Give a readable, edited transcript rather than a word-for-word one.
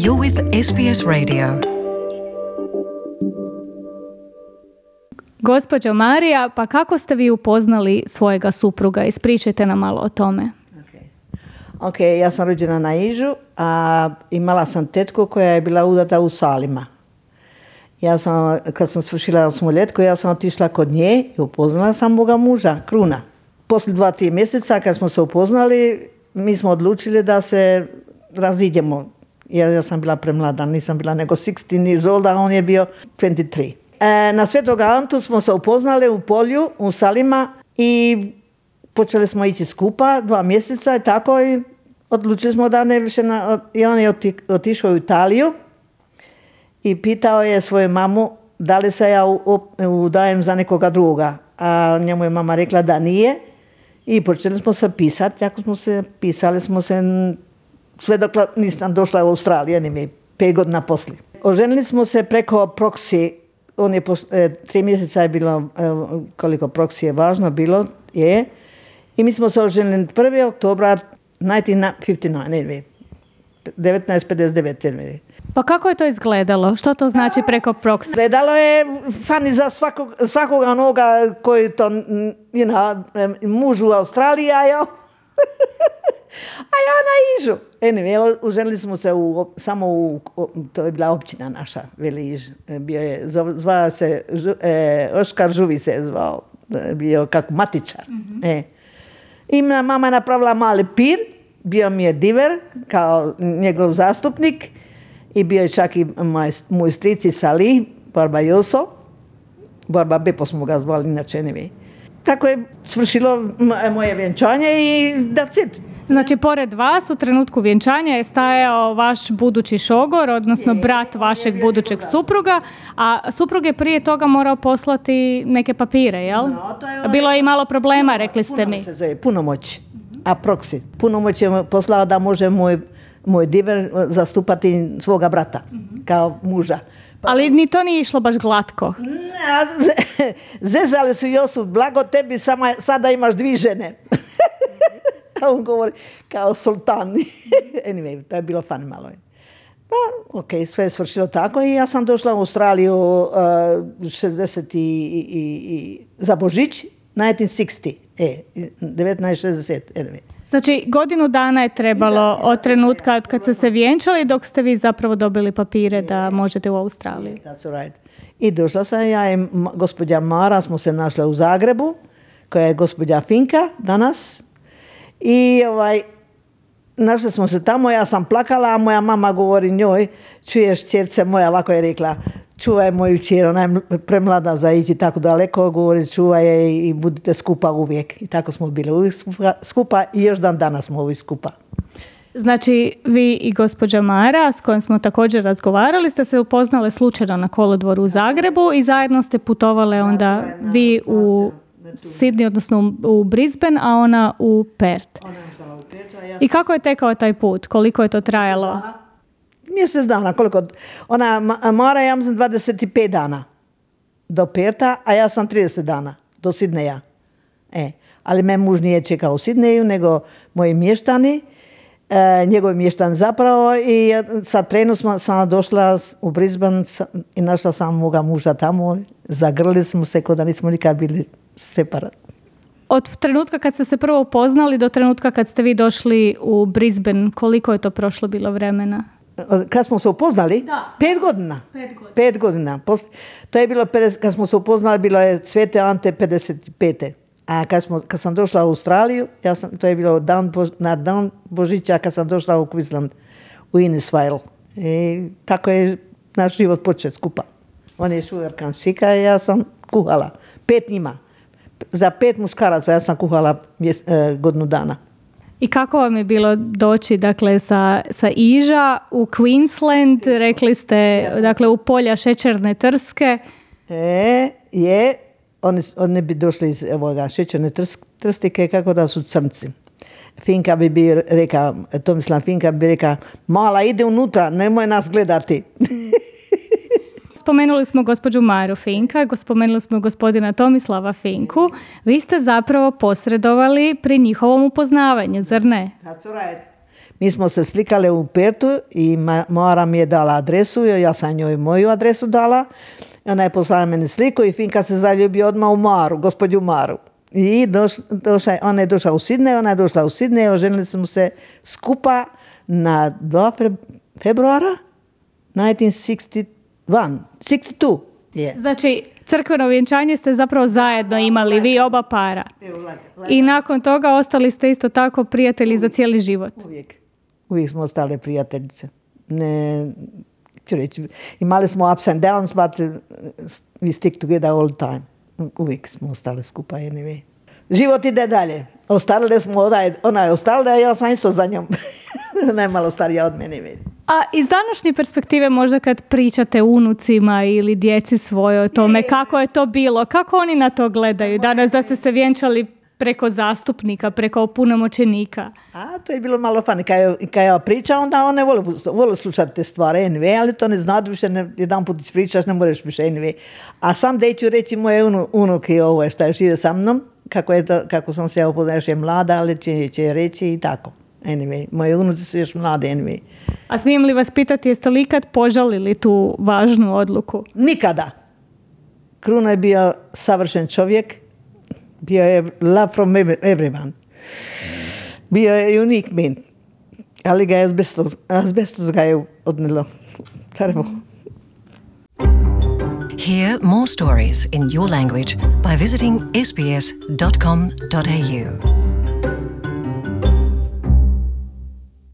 You're with SBS Radio. Gospođo Marija, pa kako ste vi upoznali svojega supruga? Ispričajte nam malo o tome. Ok, ja sam rođena na Ižu, a imala sam tetku koja je bila udata u Salima. Kad sam svršila 8-ljetku, ja sam otišla kod nje i upoznala sam moga muža, Kruna. Poslije 2-3 mjeseca kad smo se upoznali, mi smo odlučili da se razidemo. Jer ja sam bila premlada, nisam bila nego 16 years old, a on je bio 23. Na Svetog Antu smo se upoznali u polju, u Salima i počeli smo ići skupa 2 mjeseca i tako i odlučili smo da ne više. I on je otišao u Italiju i pitao je svoju mamu da li se ja udajem za nekoga druga. A njemu je mama rekla da nije i počeli smo se pisati. Tako smo se pisali smo se sve dok nisam došla u Australiju, 5 godina poslije. Oženili smo se preko proxy. On je 3 mjeseca je bilo, koliko proxy je važno bilo, je. I mi smo se oženili 1. oktobra 1959. 1959. Pa kako je to izgledalo? Što to znači preko proxy? Izgledalo je fani za svakoga onoga koji to, muž u Australiji, a ja na Ižu. Anyway, oženili smo se to je bila općina naša, Veli Iž. Zvao se, Oskar Žuvi se je zvao, bio kako matičar. Mm-hmm. I mama je napravila mali pir, bio mi je diver kao njegov zastupnik i bio je čak i moj strici Salih, Barba Joso. Barba Bepo smo ga zvali, inače anyway. Tako je svršilo moje vjenčanje i that's it. Znači, pored vas u trenutku vjenčanja je stajao vaš budući šogor, odnosno brat vašeg budućeg supruga, a suprug je prije toga morao poslati neke papire, jel? Bilo je i malo problema, rekli ste mi. Punomoć, a proxy. Punomoć je poslao da može moj diver zastupati svoga brata, kao muža. Ali ni to nije išlo baš glatko. Zezali su Josu, blago tebi, sada imaš 2 žene. On govori kao sultan. Anyway, to je bilo fun malo. Pa, ok, sve je svršilo tako i ja sam došla u Australiju 60 za Božić, 1960. 1960. Anyway. Znači, godinu dana je trebalo od trenutka od kad ste se vjenčali dok ste vi zapravo dobili papire da možete u Australiju. That's right. I došla sam ja i gospođa Mara, smo se našle u Zagrebu, koja je gospođa Finka danas. I našli smo se tamo, ja sam plakala, a moja mama govori njoj, čuješ ćerce moja, ovako je rekla, čuvaj moju ćer, ona je premlada za ići tako daleko, govori čuvaj je i budite skupa uvijek. I tako smo bili uvijek skupa i još dan danas smo uvijek skupa. Znači, vi i gospođa Mara, s kojom smo također razgovarali, ste se upoznale slučajno na kolodvoru u Zagrebu i zajedno ste putovale onda vi u Sydney, odnosno u Brisbane, a ona u Perth. I kako je tekao taj put? Koliko je to trajalo? Mjesec dana. Koliko? Mara ja mislim 25 dana do Pertha, a ja sam 30 dana do Sydneya. Ali me muž nije čekao u Sydneyu, nego moji mještani, njegovi mještani zapravo, i sa trenu sam došla u Brisbane i našla sam moga muža tamo. Zagrlili smo se kao da nismo nikad bili separat. Od trenutka kad ste se prvo upoznali do trenutka kad ste vi došli u Brisbane, koliko je to prošlo bilo vremena? Kad smo se upoznali? Da. 5 godina. 5 godina. To je bilo, kad smo se upoznali, bilo je Svete Ante 55. A kad sam došla u Australiju, to je bilo na dan Božića kad sam došla u Queensland, u Innisfail. I tako je naš život počeo skupa. On je šugarkan šika i ja sam kuhala. 5 njima. Za 5 muškaraca ja sam kuhala godinu dana. I kako vam je bilo doći, dakle, sa Iža u Queensland, rekli ste, dakle, u polja šećerne trske? Oni bi došli iz šećerne trstike kako da su crnci. Finka bi rekao, Tomislav Finka bi rekao, mala ide unutra, nemoj nas gledati. Spomenuli smo gospođu Maru Finka, spomenuli smo gospodina Tomislava Finku. Vi ste zapravo posredovali pri njihovom upoznavanju, zar ne? That's right. Mi smo se slikali u Pertu i Moara mi je dala adresu, ja sam njoj moju adresu dala. Ona je poslala meni sliku i Finka se zaljubi odmah u Maru, gospođu Maru. I ona je došla u Sidney, ona je došla u Sidney, oženili smo se skupa na 2 februara 1962. Yeah. Znači, crkveno vjenčanje ste zapravo zajedno imali, vi oba para. I nakon toga ostali ste isto tako prijatelji za cijeli život. Uvijek smo ostali prijateljice. Ne, ću reći, imali smo ups and downs, but we stick together all the time. Uvijek smo ostali skupa, anyway. Život ide dalje. Ostarili smo, ona je ostarila, ja sam isto za njom. Ona je malo starija od mene. A iz današnje perspektive možda kad pričate unucima ili djeci svojoj o tome, kako je to bilo, kako oni na to gledaju danas da ste se vjenčali preko zastupnika, preko opunomoćenika? To je bilo malo fani. Kad ja pričam, onda one vole slušati te stvari, anyway, ali to ne znaju više, jedan put ispričaš, ne moraš više, anyway. A sam da ću reći moje unuke ovo što je žive sa mnom, kako sam se upoznala, još je mlada, ali će reći i tako. Anyway, moje unuci su još mlade, anyway. A smijem li vas pitati, jeste li ikad požalili tu važnu odluku? Nikada. Kruna je bio savršen čovjek. Bio je love from everyone. Bio je unique man. Ali ga je azbestos ga je odnelo. Terrible. Hear more stories in your language by visiting sbs.com.au.